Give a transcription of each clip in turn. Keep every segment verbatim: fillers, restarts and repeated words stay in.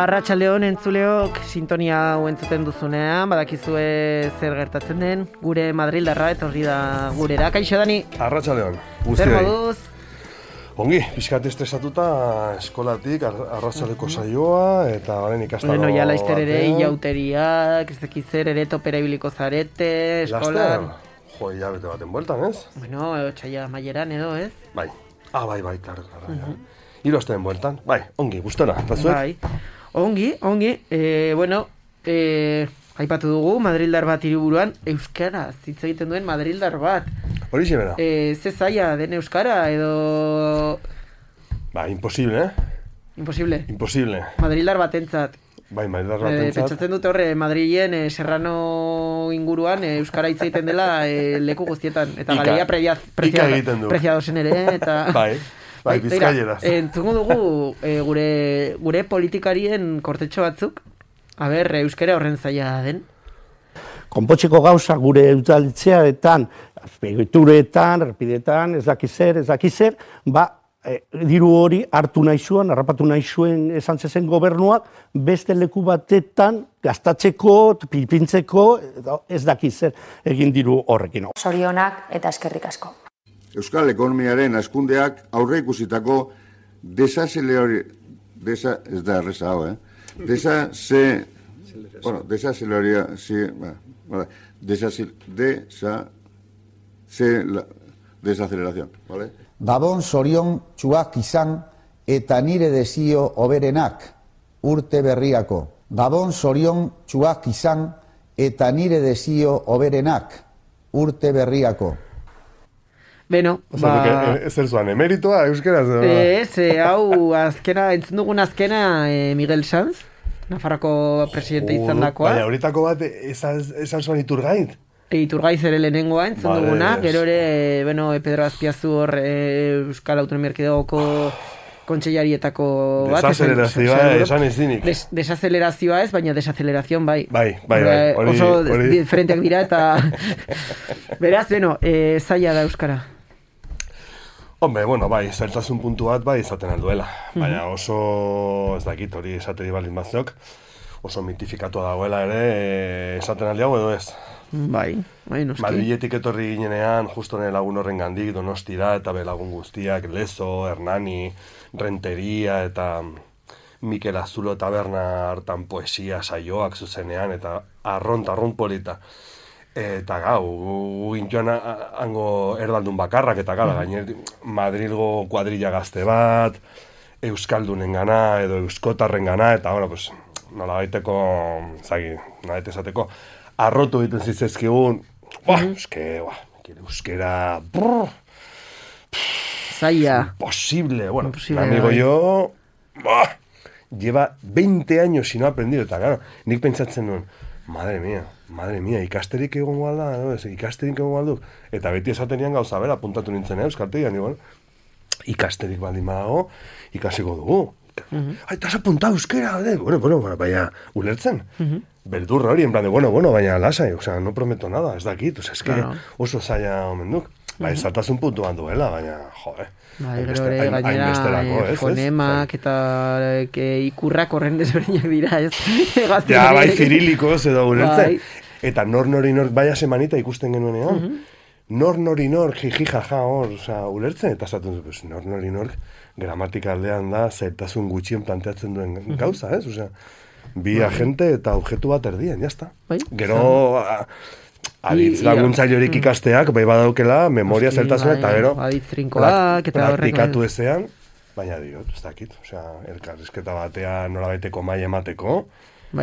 Arratsaldeon entzuleok, sintonia hau entzuten duzunean, badakizue zer gertatzen den, gure Madrildarra etorri da gurera. Kaixo, Dani? Arratsaldeon. Zer moduz? Ongi, pixkat estresatuta eskolatik, arratsaldeko saioa, eta orain ikastaro... Bueno, ja laizter ere, ilauteriak, ez dakiz zer, ere topera ibiliko zarete, eskolan... Jo, ja bete baten bueltan, ez? Bueno, otsaila maieran edo, ez? Bai. Ah, bai, bai, klaro, klaro, uh -huh. Hiru asteen bueltan. Bai, ongi, gustora, eta zuek? Bai. Ongi, ongi, e, bueno, e, aipatu dugu, Madrildar bat hiriburuan, euskara, hitz egiten duen Madrildar bat. Hori xebera? E, ze zaila den euskara, edo... Ba, imposible, eh? Imposible? Imposible. Madrildar batentzat. Bai, Madrildar batentzat. E, pentsatzen dut horre, Madrilen, e, Serrano inguruan, e, euskara hitz egiten dela e, leku guztietan. Eta Ika, galeria predia, predia, preziadosen ere, eta... Bai. Bai, bizkaieraz. Entzungo dugu e, gure, gure politikarien kortetxo batzuk, aber, euskara horren zaila den. Konpotzeko gauza gure udaltzearetan, azpeituretan, errepidetan, ez daki zer, ez daki zer, ba, e, diru hori hartu nahi zuen, harrapatu nahi zuen esan zezen gobernuak, beste leku batetan gastatzeko, pipintzeko, ez daki zer egin diru horrekin. Zorionak eta eskerrik asko. Euskal ekonomiaren hazkundeak aurre ikusitako desazelerari... Desa... Ez da erreza hau, eh? Desase... Bueno, desazeleria... Sí, vale. Desase... Desa... Se... La, desaceleración, vale? Gabon zorion txuak izan eta nire desio oberenak urte berriako. Gabon zorion txuak izan eta nire desio oberenak urte berriako. Beno, ba... Ez zer zuan, emeritoa, euskeraz? Ez, hau, azkena, entzun dugun azkena e, Miguel Sanz, Nafarroko presidente izan dakoa. Baina, horietako bat, esan zuan Iturgaiz? E, Iturgaiz ere lehenengoa entzun vale, duguna, gero ere, bueno, Pedro Azpiazu hor e, Euskal Autonomia Erkidegoko kontseilarietako bat. Desazelerazioa, esan ez dinik. Des, desazelerazioa ez, baina desacelerazion bai. Bai, bai, bai. Hori, oso hori... diferenteak dira eta... Beraz, beno, e, zaila da Euskara. Hombre, bueno, bai, zailtasun puntu bat bai izaten alduela. Baina oso, ez dakit, hori esateri balin batzok, oso mitifikatua dagoela ere esaten aldiago edo ez. Bai, bai, noski. Madriletik etorri ginenean, justo nire lagun horren gandik, Donostira eta belagun guztiak, Lezo, Hernani, Renteria eta Mikel Azulo taberna hartan poesia saioak zuzenean eta arront, arront polita. Eta gau, gintuan hango erdaldun bakarrak, eta gara, gainer Madrilgo kuadrilla gazte bat, Euskaldunen gana, edo Euskotarren gana, eta, bueno, pues, nola baiteko, zagi, nola baita esateko, arrotu egiten zizezkigun, ba, euske, ba, euskera, brrr, zaila. Imposible, bueno, un amigo yo, ba, lleva veinte años si no ha aprendido, eta, claro, nik pentsatzen nuen, madre mía, madre mía, ikasterik egon gualda, no? ikasterik egon gualdu. Eta beti esatenian gauza bera, puntatu nintzen, eh, euskaltegian, bueno, ikasterik baldin badago, ikasiko dugu. Uh -huh. Ai, te has apuntado euskera, de? Bueno, bueno, baina, ulertzen. Uh -huh. Beldurra hori, en plan de, bueno, bueno, baina lasai, o sea, no prometo nada, ez dakit, o sea, es que claro. Oso zaila omen duk. Ba, ez zartasun puntuan duela, baina, jode. Bai, gero ere, gainera, fonemak eta ikurrak horren desberdinak dira, ez? Ja, bai, zirilikoz edo ulertzen. Eta nor nori nor, baia semanita ikusten genuenean, nor nori nor, jiji jaja hor, oza, ulertzen, eta zaten dut, nor nori nor, gramatika aldean da, zailtasun gutxien planteatzen duen gauza, ez? Osea, bi agente eta objetu bat erdien, jazta. Gero... Aditz laguntzaile horik ikasteak, bai badaukela, memoria zertasuna, eta gero praktikatu ezean, baina diot, ez dakit, osea, elkarrizketa batean nola baiteko mai emateko,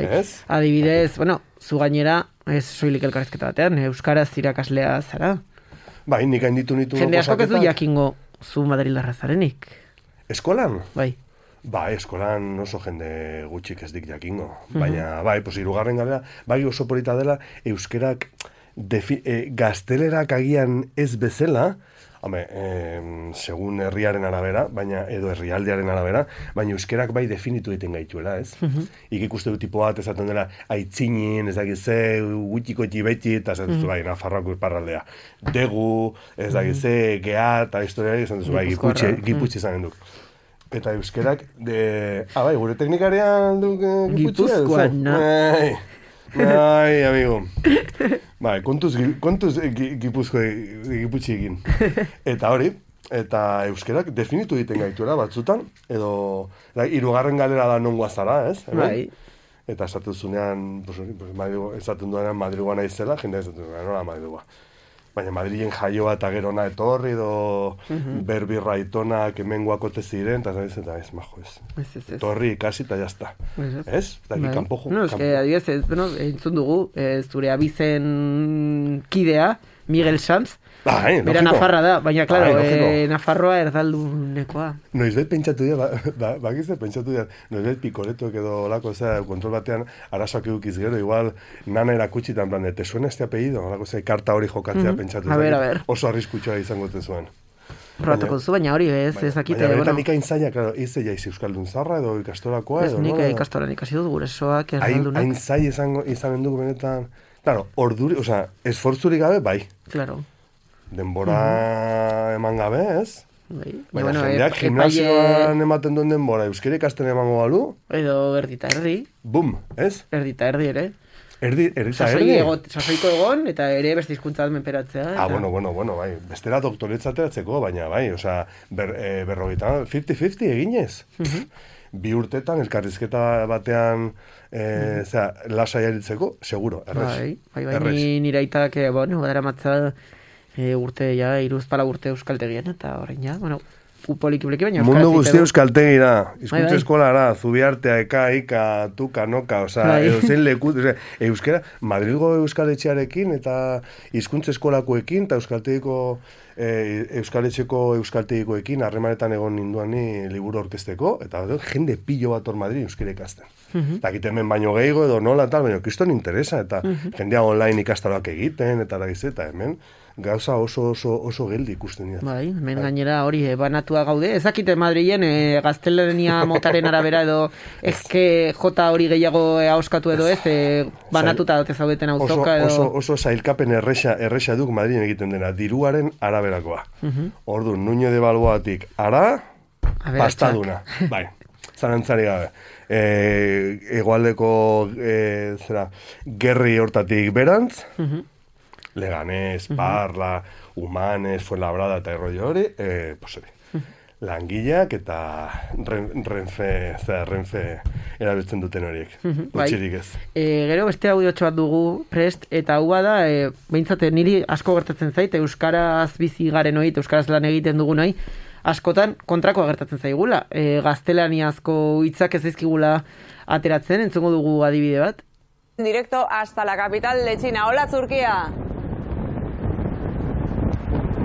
ez? Adibidez, bueno, zu gainera, ez soilik elkarrizketa batean, euskaraz irakaslea zara. Bai, nik hain ditu nitu jende asko ez du jakingo zu Madrildarra zarenik. Eskolan? Bai. Bai, eskolan oso jende gutxik ez dik jakingo, baina, bai, pues hirugarren galera, bai oso polita dela, euskerak Defi, e, gaztelerak agian ez bezala, hame, e, segun herriaren arabera, baina edo herrialdearen arabera, baina euskerak bai definitu egiten gaituela, ez? Uh -huh. Ik ikuste du tipo bat esaten dela aitzinin, ez dakize, gutxiko beti, eta esaten zu bai, Nafarroako iparraldea. Degu, ez dakize, geha, eta historiari esan duzu bai, giputxe izanen duk. Eta euskerak, de... Ah, bai, gure teknikarian du Gipuzkoan, no? Ai, ai, amigo. Bai, kontuz, kontuz gipuzko giputxiekin. Eta hori, eta euskerak definitu egiten gaituela batzutan, edo hirugarren galera da non guazara, ez? Bai. Eta esaten zunean, pues, pues, Madrigo, esaten duenean Madrigoa naizela, jendea esaten duenean, nola Madrigoa. Baina Madrilen jaioa eta gerona etorri, edo uh-huh. berbirra itonak emengoak ote ziren, eta ez, eta ez, majo, ez. Ez, ez, ez. Etorri ikasi eta jazta. Ez? Ez? Eta Bai. kanpo jo. No, eske, adibidez, ez, bueno, entzun dugu, ez, zure abizen kidea, Miguel Sanz, Bai, bera logiko. Nafarra da, baina, klaro, Bai, logiko. eh, Nafarroa erdaldunekoa. Noizbait pentsatu dira, ba, ba, bakizte pentsatu dira, noizbait pikoretuek edo olako, zera, kontrol batean arazoak edukiz gero, igual nana erakutsitan, plan, te suena este apellido, olako, zera, karta hori jokatzea Mhm. pentsatu. A ber, dakit, a ber. Oso arriskutsua izango te zuen. Probatuko duzu, baina hori ez, Baina, ezakite, baina benetan bueno, nik hain zaila, claro, ez jaiz euskaldun zarra edo ikastorakoa ez edo, nik nola? ikastoran ikasi dut gurasoak Hain, hain erdaldunak. zaila izango, izanen dugu benetan, claro, orduri, osea, esfortzurik gabe, bai. Claro. Denbora eman gabe, ez? Bai. Baina Bueno, jendeak ep- gimnasioan ematen duen denbora, euskera ikasten emango balu, Edo erdita erdi, bum, ez? erdita erdi ere. Erdi, erdi eta Sasoi erdi. egot, sasoiko egon, eta ere beste hizkuntza menperatzea. Ah, bueno, bueno, bueno, bai. Bestera doktoretza ateratzeko, baina bai, osea, ber, e, berrogeita, fifty fifty eginez. Mhm. Bi urtetan, elkarrizketa batean, e, zera, lasai aritzeko, seguro, errez. Bai, bai, bai, Errez. ni nire aitak, eh, bueno, dara matza e, urte, ja, iruzpala urte euskaltegian, eta orain ja, bueno, poliki poliki, baina euskaraz Mundu egiteko. guztia euskaltegira, Bai, hizkuntza bai. eskolara, zubiartea, eka, ika, tuka, noka, osea, Bai. edo zein leku, osea, euskera, Madrilgo euskaletxearekin eta hizkuntza eskolakoekin eta euskaltegiko e, euskaletxeko euskaltegikoekin harremanetan egon ninduan ni liburu orkesteko, eta jende pilo bat hor Madrid euskera ikasten. Mhm. Dakit hemen baino gehiago edo nola tal, baina kriston interesa, eta Mhm. jendea online ikastaroak egiten, eta dakiz, eta hemen gauza oso oso oso geldi ikusten dira. Bai, hemen gainera hori eh, banatua gaude. Ezakite Madrilen e, gaztelania motaren arabera edo ezke jota hori gehiago e, ahoskatu edo ez, e, banatuta dote zaudeten Oso, auzoka edo... oso, oso zailkapen erresa, erresa duk Madrilen egiten dena, diruaren araberakoa. Mhm. Orduan, Nuño de Balboatik ara, Aberatsak. pastaduna. Bai, zarantzari gabe. E, egoaldeko, e, zera, gerri hortatik berantz, Mhm. Leganés, Parla, Humanes, Fuenlabrada eta errollo hori, e, pues hori. Langileak eta ren, renfe, zera, renfe erabiltzen duten horiek. bai. Utxirik ez. E, gero beste audiotxo bat dugu prest, eta hau da, e, behintzate niri asko gertatzen zait, euskaraz bizi garen hori, euskaraz lan egiten dugun hori, askotan kontrakoa gertatzen zaigula. E, gaztelaniazko hitzak ez zaizkigula ateratzen, entzungo dugu adibide bat. Directo hasta la capital de China. Hola, Turquía.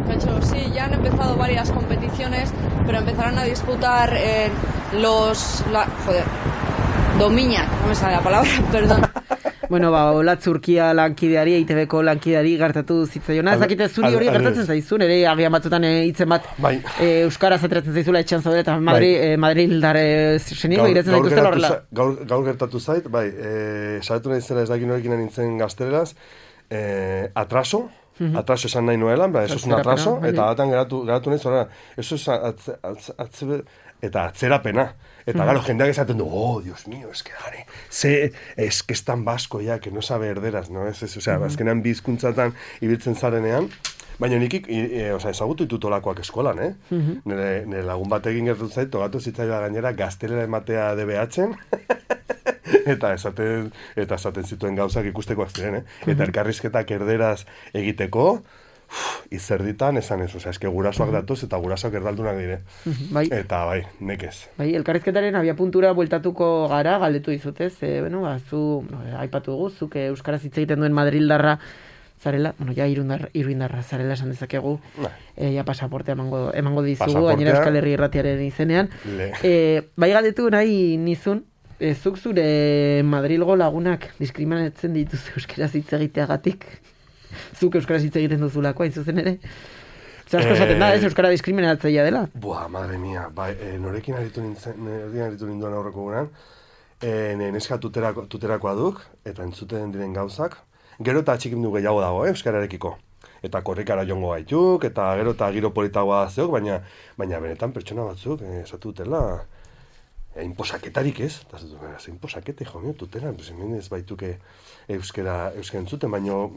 Hecho, sí, ya han empezado varias competiciones, pero empezarán a disputar eh, los... La, joder, domiñak, no me sale la palabra, perdón. Bueno, ba, hola Turkia lankideari, E I T B-ko lankideari gertatu zitzaiona. Ez dakite zuri hori Al- gertatzen zaizun, ere agian batzutan e, hitzen bat Bai. e, euskaraz ateratzen zaizula etxan zaudela, eta Madri, e, Madrildar e, senigo iretzen gaur zaituzten gertatu horrela. za- Gaur, gaur gertatu zait, bai, e, sabetu nahi zela ez dakin horrekin nintzen gazteleraz, e, atraso, atraso esan nahi nuelan, ba, eso es un Atzerapena, atraso, bai. eta datan geratu, geratu nahi zorra, eso es atze, atze, atze, eta atzerapena. Eta, gero, jendeak esaten du, oh, Dios mío, es que, jare, ze, es que es tan basko ya, que no sabe herderas, no? Ez, ez, osea, azkenean bi hizkuntzatan ibiltzen zarenean, baina nik, e, osea, ezagutu ditut olakoak eskolan, eh? Nire, nire lagun bat egin gertu zait, togatu zitzaila gainera, gaztelera ematea D B H-en, eta esaten, eta esaten zituen gauzak ikustekoak ziren, eh? Eta elkarrizketak erderaz egiteko, uf, izerditan esan ez, osea, eske gurasoak datoz eta gurasoak erdaldunak dire. Bai. Eta bai, nekez. Bai, elkarrizketaren abiapuntura bueltatuko gara, galdetu dizutez, e, bueno, ba, zu, no, aipatu dugu, zuk e, euskaraz hitz egiten duen Madrildarra zarela, bueno, ja irundar, iruindarra zarela esan dezakegu, Bai. e, ja pasaportea emango, emango dizugu, Pasaportea. gainera Euskal Herri Irratiaren izenean. Le. E, bai galdetu nahi nizun, e, zuk zure Madrilgo lagunak diskriminatzen dituzu euskaraz hitz egiteagatik, zuk euskaraz hitz egiten duzulako, hain zuzen ere. Zer asko esaten da, ez, euskara diskriminatzailea dela. Buah, madre mia, bai, e, norekin aritu nintzen, norekin aritu ninduan aurreko guran, e, neska tuterako, tuterakoa duk, eta entzuten diren gauzak, gero eta atxikim du gehiago dago, eh, euskararekiko. eta korrikara jongo gaituk, eta gero eta giro politagoa zeok, baina, baina benetan pertsona batzuk, eh, esatu dutela, eh, inposaketarik ez, eta zatu, ze inposakete, jo, mio, tutela, pues, hemen ez baituke euskera, euskera entzuten, baina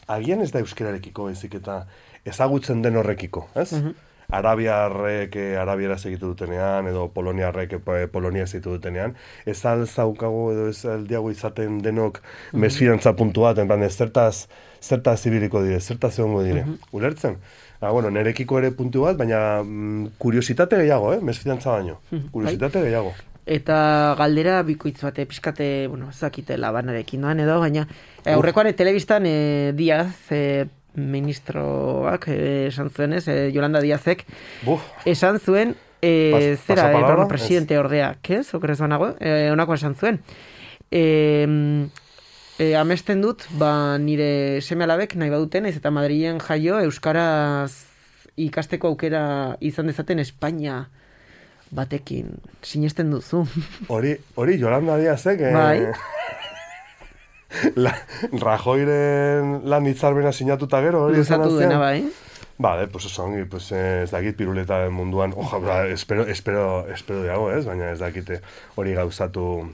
agian ez da euskerarekiko ezik eta ezagutzen den horrekiko, ez? Uh-huh. Arabiarrek eh, arabiera segitu dutenean, edo poloniarrek eh, polonia segitu dutenean, ez alzaukago edo ez aldiago izaten denok uh-huh. mesfidantza puntu bat, en plan, zertaz, zertaz ibiliko dire, zertaz egongo dire, uh-huh. ulertzen? Ah, bueno, nerekiko ere puntu bat, baina mm, kuriositate gehiago, eh? Mesfidantza baino, uh-huh. kuriositate bai. gehiago. Eta galdera bikoitz bate, pixkate, bueno, zakite labanarekin doan edo, baina aurrekoan e, telebistan e, Diaz, e, ministroak eh, esan zuen ez, eh, Yolanda Díazek Buf. esan zuen eh, Pas, zera, eh, bueno, presidente es. ordeak, ez, okerez banago, eh, onako esan zuen. Eh, eh, amesten dut, ba, nire seme alabek nahi baduten, ez eta Madrilen jaio euskaraz ikasteko aukera izan dezaten Espainia batekin, sinesten duzu. Hori, hori Yolanda Díazek, eh, bai. La, Rajoyren lan hitzarmena sinatuta gero hori izan zen. Dena bai. Vale, pues eso, pues eh, ez dakit piruleta munduan, oja, espero, espero, espero diago, ez, baina ez dakite hori gauzatu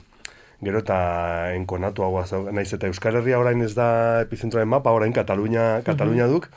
gero eta enkonatu hau naiz eta Euskal Herria orain ez da epizentroaren mapa, orain Katalunia, Katalunia duk,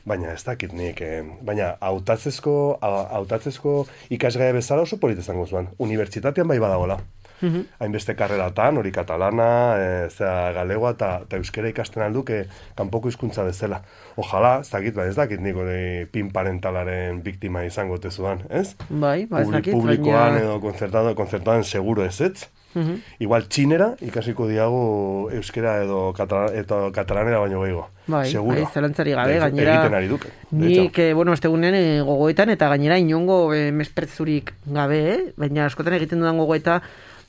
baina ez dakit nik, eh, baina hautatzezko, hautatzezko ikasgaia bezala oso polit izango zuen, unibertsitatean bai badagola. Uhum. Hainbeste karreratan, hori katalana, e, zera galegoa eta euskera ikasten alduke kanpoko hizkuntza bezala. Ojala, ez dakit, ba, ez dakit nik hori pin parentalaren biktima izango tezuan, ez? Bai, ba, ez dakit. Publikoan baina... edo konzertado, konzertadoan seguro ez ez. Uhum. Igual txinera ikasiko diagu euskera edo, katala, edo katalanera baino gehiago. Bai, seguro. Bai, zelantzari gabe, gainera... Egiten ari duke. Nik, eh, bueno, estegunen eh, gogoetan eta gainera inongo eh, mesprezzurik gabe, eh? Baina askotan egiten dudan gogoeta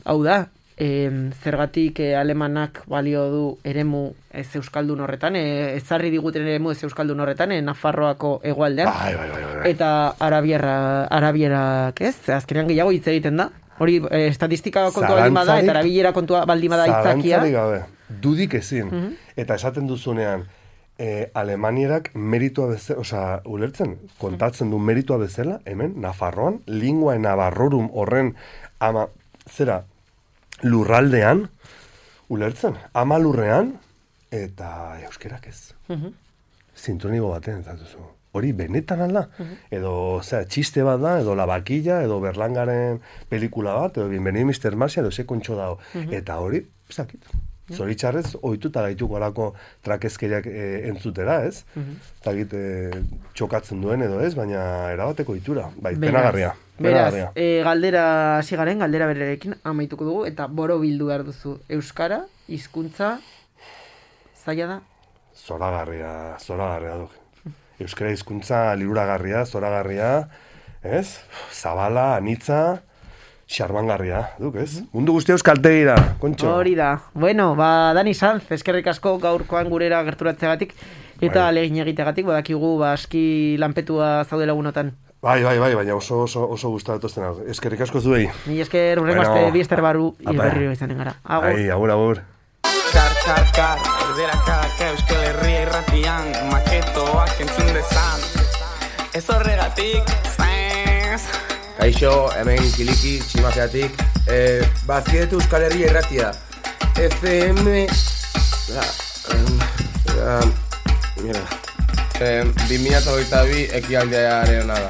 hau da, e, zergatik e, alemanak balio du eremu ez euskaldun horretan, e, ezarri diguten eremu ez euskaldun horretan, e, Nafarroako hegoaldean. Bai, bai, bai, bai. Eta arabierra, arabierak ez, azkenean gehiago hitz egiten da. Hori, e, estatistika kontua baldin bada, eta arabiera kontua baldin bada hitzakia. Zalantzarik gabe, dudik ezin. Uh-huh. Eta esaten duzunean, e, alemanierak meritua bezala, osea, ulertzen, kontatzen du meritua bezala, hemen, Nafarroan, lingua navarrorum horren ama, zera, lurraldean, ulertzen, ama lurrean, eta euskerak ez. Uh-huh. Sintronigo baten, zatuzu. Hori benetan alda. Uh-huh. Edo, zera, txiste bat da, edo La Vaquilla, edo Berlangaren pelikula bat, edo Bienvenido mister Marcia, edo Se kontxo dao. Uh-huh. Eta hori, zakit. Zoritxarrez, ohituta gaituko alako trakezkeriak e, entzutera, ez? Uh-huh. Zagit, e, txokatzen duen edo ez, baina erabateko itura. Bai, penagarria. Beraz, e, galdera hasi garen, galdera bererekin amaituko dugu, eta boro bildu behar duzu. Euskara, hizkuntza, zaila da? Zoragarria, zoragarria duk. Euskara hizkuntza liruragarria, zoragarria, ez? Zabala, anitza... Xarmangarria, duk, ez? Mm-hmm. Mundu guztia euskaltegira, kontxo. Hori da. Bueno, ba, Dani Sanz, eskerrik asko gaurkoan gurera gerturatzeagatik, eta bai. Alegin egiteagatik, badakigu, ba, aski lanpetua zaude lagunotan. Bai, bai, bai, baina oso, oso, oso gustatu ezten hau. Eskerrik asko zuei. Ni esker, urrengo bueno, azte, biester baru, berriro izanen gara. Agur. Ai, agur, agur. Kar, kar, kar, erderakak euskal herria irratian, maketoak entzun dezan. Ez horregatik, zaiz... Kaixo, hemen kiliki, tximazeatik, eh, bazkietu Euskal Herria irratia. F M... Ah, ah, mira. Eh, bi mila hogeita bi ekialdearen da.